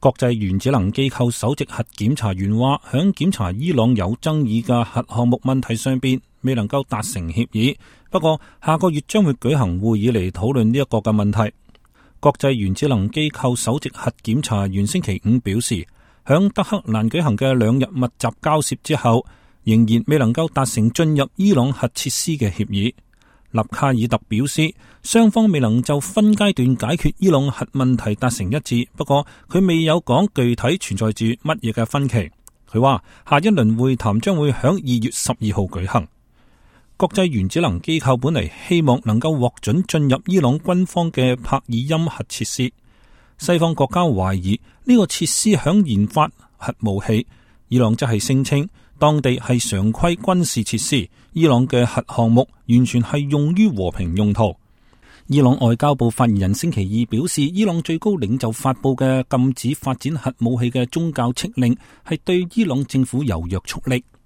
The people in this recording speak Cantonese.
國際原子能機構首席核檢查員話，響檢查伊朗有爭議嘅核項目問題上邊未能夠達成協議，不過下個月將會舉行會議嚟討論呢一個嘅問題。國際原子能機構首席核檢查員星期五表示，響德黑蘭舉行嘅2日密集交涉之後，仍然未能夠達成進入伊朗核設施嘅協議。納卡爾特表示，雙方未能就分階段解決伊朗核問題達成一致，不過佢未有講具體存在住乜嘢嘅分歧。佢話下一輪會談將會響2月12號舉行。國際原子能機構本嚟希望能夠獲准進入伊朗軍方嘅帕爾欽核設施，西方國家懷疑呢個設施響研發核武器，伊朗則係聲稱當地係常規軍事設施，伊朗嘅核項目完全係用於和平用途。伊朗外交部發言人星期二表示，伊朗最高領袖發佈嘅禁止發展核武器嘅宗教敕令係對伊朗政府有約束力。